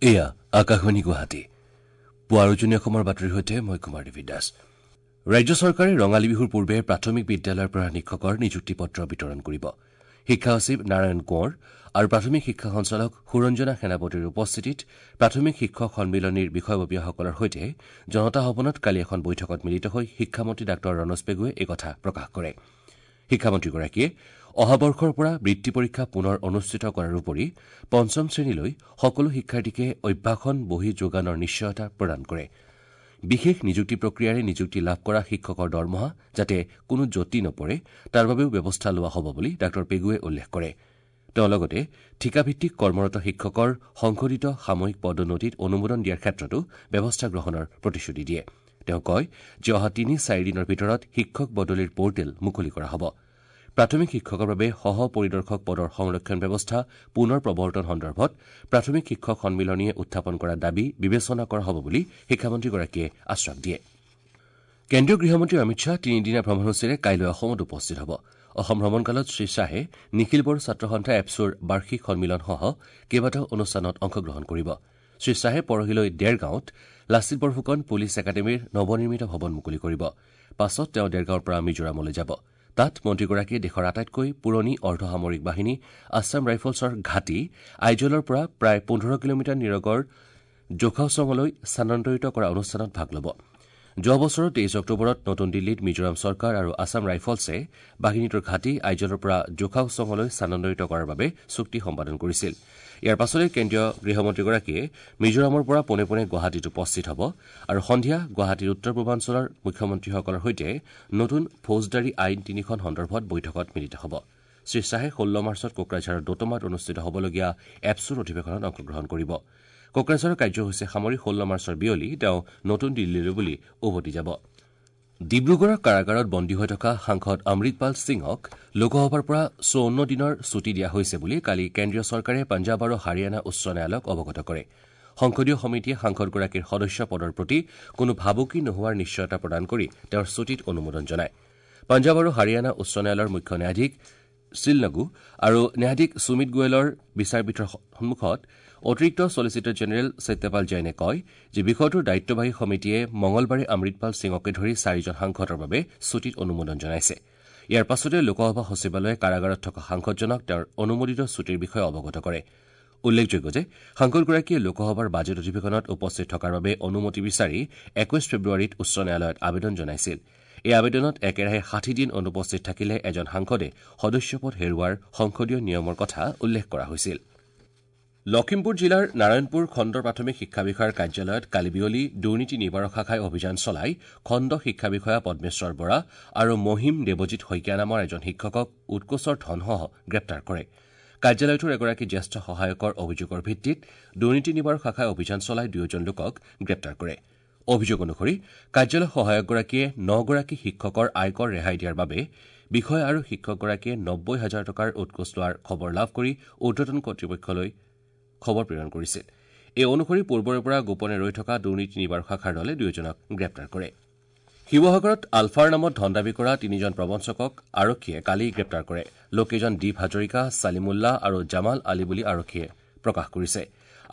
এয়া আকাশবাণী গুৱাহাটী। পুৱাৰ উজনি অসমৰ বাতৰিৰ সৈতে মই কুমাৰ দেৱী দাস। ৰাজ্য চৰকাৰে ৰঙালী বিহুৰ পূৰ্বে প্ৰাথমিক বিদ্যালয়ৰ পৰা শিক্ষকৰ নিযুক্তি পত্ৰ বিতৰণ কৰিব। শিক্ষা সচিব নাৰায়ণ কোঁৱৰ আৰু প্ৰাথমিক শিক্ষা সঞ্চালক সুৰঞ্জনা সেনাপতিৰ উপস্থিতিত প্ৰাথমিক শিক্ষক সন্মিলনীৰ বিষয়ববীয়াসকলৰ সৈতে জনতা ভৱনত কালি এখন বৈঠকত মিলিত হৈ শিক্ষামন্ত্ৰী ডাঃ ৰণোজ পেগুৱে এই কথা প্ৰকাশ কৰে। শিক্ষামন্ত্ৰীগৰাকীয়ে অহা বৰ্ষৰ পৰা বৃত্তি পৰীক্ষা পুনৰ অনুষ্ঠিত কৰাৰ উপৰি পঞ্চম শ্ৰেণীলৈ সকলো শিক্ষাৰ্থীকে অভ্যাসন বহী যোগানৰ নিশ্চয়তা প্ৰদান কৰে। বিশেষ নিযুক্তি প্ৰক্ৰিয়াৰে নিযুক্তি লাভ কৰা শিক্ষকৰ দৰমহা যাতে কোনো যতি নপৰে তাৰ বাবেও ব্যৱস্থা লোৱা হ'ব বুলি ডাঃ পেগুৱে উল্লেখ কৰে। তেওঁ লগতে ঠিকাভিত্তিক কৰ্মৰত শিক্ষকৰ সংশোধিত সাময়িক পদোন্নতিত অনুমোদন দিয়াৰ ক্ষেত্ৰতো ব্যৱস্থা গ্ৰহণৰ প্ৰতিশ্ৰুতি দিয়ে। তেওঁ কয় যে অহা ৩-৪ দিনৰ ভিতৰত শিক্ষক বদলিৰ পৰ্টেল মুকলি কৰা হ'ব। প্ৰাথমিক শিক্ষকৰ বাবে সহ পৰিদৰ্শক পদৰ সংৰক্ষণ ব্যৱস্থা পুনৰ প্ৰৱৰ্তন সন্দৰ্ভত প্ৰাথমিক শিক্ষক সন্মিলনীয়ে উত্থাপন কৰা দাবী বিবেচনা কৰা হ'ব বুলি শিক্ষামন্ত্ৰীগৰাকীয়ে আশ্বাস দিয়ে। কেন্দ্ৰীয় গৃহমন্ত্ৰী অমিত শ্বাহ তিনিদিনীয়া ভ্ৰমণসূচীৰে কাইলৈ অসমত উপস্থিত হ'ব। অসম ভ্ৰমণকালত শ্ৰীশ্বাহে নিখিল বড়ো ছাত্ৰ সন্থা এপছুৰ বাৰ্ষিক সন্মিলনসহ কেইবাটাও অনুষ্ঠানত অংশগ্ৰহণ কৰিব। শ্ৰীশ্বাহে পৰহিলৈ দেৰগাঁৱত লাচিত বৰফুকন পুলিচ একাডেমীৰ নৱনিৰ্মিত ভৱন মুকলি কৰিব। পাছত তেওঁ দেৰগাঁৱৰ পৰা মিজোৰামলৈ যাব। তাত মন্ত্ৰীগৰাকীয়ে দেশৰ আটাইতকৈ পুৰণি অৰ্ধসামৰিক বাহিনী আছাম ৰাইফলছৰ ঘাটি আইজলৰ পৰা প্ৰায় ১৫ কিলোমিটাৰ নিৰগৰ জোখাওচঙলৈ স্থানান্তৰিত কৰা অনুষ্ঠানত ভাগ ল'ব। যোৱা বছৰৰ ২৩ অক্টোবৰত নতুন দিল্লীত মিজোৰাম চৰকাৰ আৰু আছাম ৰাইফলছে বাহিনীটোৰ ঘাটি আইজলৰ পৰা জোখাওচঙলৈ স্থানান্তৰিত কৰাৰ বাবে চুক্তি সম্পাদন কৰিছিল। ইয়াৰ পাছতে কেন্দ্ৰীয় গৃহমন্ত্ৰীগৰাকীয়ে মিজোৰামৰ পৰা পোনে পোনে গুৱাহাটীত উপস্থিত হ'ব আৰু সন্ধিয়া গুৱাহাটীৰ উত্তৰ পূৰ্বাঞ্চলৰ মুখ্যমন্ত্ৰীসকলৰ সৈতে নতুন ফৌজদাৰী আইন তিনিখন সন্দৰ্ভত বৈঠকত মিলিত হ'ব। শ্ৰীশ্বাহে ১৬ মাৰ্চত কোকৰাঝাৰৰ দোতমাত অনুষ্ঠিত হ'বলগীয়া এপছুৰ অধিৱেশনত অংশগ্ৰহণ কৰিব। কোকৰাঝাৰৰ কাৰ্যসূচী সামৰি ১৬ মাৰ্চৰ বিয়লি তেওঁ নতুন দিল্লীলৈ বুলি উভতি যাব। ডিব্ৰুগড়ৰ কাৰাগাৰত বন্দী হৈ থকা সাংসদ অমৃতপাল সিঙক লোকসভাৰ পৰা ৫৪ দিনৰ ছুটী দিয়া হৈছে বুলি কালি কেন্দ্ৰীয় চৰকাৰে পঞ্জাৱ আৰু হাৰিয়ানা উচ্চ ন্যায়ালয়ক অৱগত কৰে। সংসদীয় সমিতিয়ে সাংসদগৰাকীৰ সদস্য পদৰ প্ৰতি কোনো ভাবুকি নোহোৱাৰ নিশ্চয়তা প্ৰদান কৰি তেওঁৰ ছুটীত অনুমোদন জনায়। পঞ্জাৱ আৰু হাৰিয়ানা উচ্চ ন্যায়ালয়ৰ মুখ্য ন্যায়াধীশ শিলনগু আৰু ন্যায়াধীশ সুমিত গোৱেলৰ বিচাৰপীঠৰ সন্মুখত অতিৰিক্ত ছলিচিটৰ জেনেৰেল সত্যপাল জৈনে কয় যে বিষয়টোৰ দায়িত্ববাহী সমিতিয়ে মঙলবাৰে অমৃতপাল সিঙকে ধৰি চাৰিজন সাংসদৰ বাবে ছুটীত অনুমোদন জনাইছে। ইয়াৰ পাছতে লোকসভা সচিবালয়ে কাৰাগাৰত থকা সাংসদজনক তেওঁৰ অনুমোদিত ছুটীৰ বিষয়ে অৱগত কৰে। উল্লেখযোগ্য যে সাংসদগৰাকীয়ে লোকসভাৰ বাজেট অধিৱেশনত উপস্থিত থকাৰ বাবে অনুমতি বিচাৰি ২১ ফেব্ৰুৱাৰীত উচ্চ ন্যায়ালয়ত আবেদন জনাইছিল। এই আবেদনত একেৰাহে ৬০ দিন অনুপস্থিত থাকিলে এজন সাংসদে সদস্যপদ হেৰুওৱাৰ সংসদীয় নিয়মৰ কথা উল্লেখ কৰা হৈছিল। লখিমপুৰ জিলাৰ নাৰায়ণপুৰ খণ্ড প্ৰাথমিক শিক্ষা বিষয়াৰ কাৰ্যালয়ত কালি বিয়লি দুৰ্নীতি নিবাৰক শাখাই অভিযান চলাই খণ্ড শিক্ষা বিষয়া পদ্মেশ্বৰ বৰা আৰু মহিম দেৱজিৎ শইকীয়া নামৰ এজন শিক্ষকক উৎকোচৰ ধনসহ গ্ৰেপ্তাৰ কৰে। কাৰ্যালয়টোৰ এগৰাকী জ্যেষ্ঠ সহায়কৰ অভিযোগৰ ভিত্তিত দুৰ্নীতি নিবাৰক শাখাই অভিযান চলাই দুয়োজন লোকক গ্ৰেপ্তাৰ কৰে। অভিযোগ অনুসৰি কাৰ্যালয় সহায়কগৰাকীয়ে ৯গৰাকী শিক্ষকৰ আয়কৰ ৰেহাই দিয়াৰ বাবে বিষয়া আৰু শিক্ষকগৰাকীয়ে ৯০ হাজাৰ টকাৰ উৎকোচ লোৱাৰ খবৰ লাভ কৰি ঊৰ্ধতন কৰ্তৃপক্ষলৈ খবৰ প্ৰেৰণ কৰিছিল। এই অনুসৰি পূৰ্বৰে পৰা গোপনে ৰৈ থকা দুৰ্নীতি নিবাৰক শাখাৰ দলে দুয়োজনক গ্ৰেপ্তাৰ কৰে। শিৱসাগৰত আলফাৰ নামত ধন দাবী কৰা তিনিজন প্ৰবঞ্চকক আৰক্ষীয়ে কালি গ্ৰেপ্তাৰ কৰে। লোককেইজন দীপ হাজৰিকা, ছালিমুল্লাহ আৰু জামাল আলী বুলি আৰক্ষীয়ে প্ৰকাশ কৰিছে।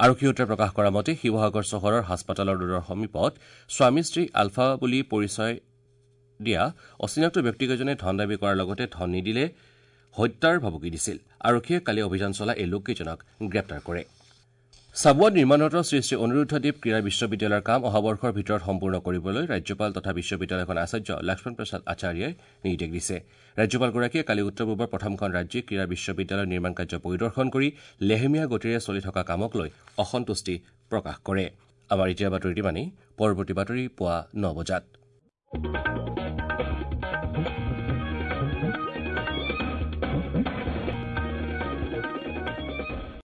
আৰক্ষী সূত্ৰই প্ৰকাশ কৰা মতে শিৱসাগৰ চহৰৰ হাস্পতালৰ ৰোডৰ সমীপত স্বামী স্ত্ৰী আলফা বুলি পৰিচয় দিয়া অচিনাক্ত ব্যক্তিকেইজনে ধন দাবী কৰাৰ লগতে ধন নিদিলে হত্যাৰ ভাবুকি দিছিল। আৰক্ষীয়ে কালি অভিযান চলাই এই লোককেইজনক গ্ৰেপ্তাৰ কৰে। চাবুৱাত নিৰ্মাণৰত শ্ৰী শ্ৰী অনিৰুদ্ধদেৱ ক্ৰীড়া বিশ্ববিদ্যালয়ৰ কাম অহা বৰ্ষৰ ভিতৰত সম্পূৰ্ণ কৰিবলৈ ৰাজ্যপাল তথা বিশ্ববিদ্যালয়খনৰ আচাৰ্য লক্ষ্মণ প্ৰসাদ আচাৰ্যই নিৰ্দেশ দিছে। ৰাজ্যপালগৰাকীয়ে কালি উত্তৰ পূবৰ প্ৰথমখন ৰাজ্যিক ক্ৰীড়া বিশ্ববিদ্যালয়ৰ নিৰ্মাণ কাৰ্য পৰিদৰ্শন কৰি লেহেমীয়া গতিৰে চলি থকা কামক লৈ অসন্তুষ্টি প্ৰকাশ কৰে। আমাৰ এতিয়াৰ বাতৰি ইমানেই। পৰৱৰ্তী বাতৰি পুৱা ৯ বজাত।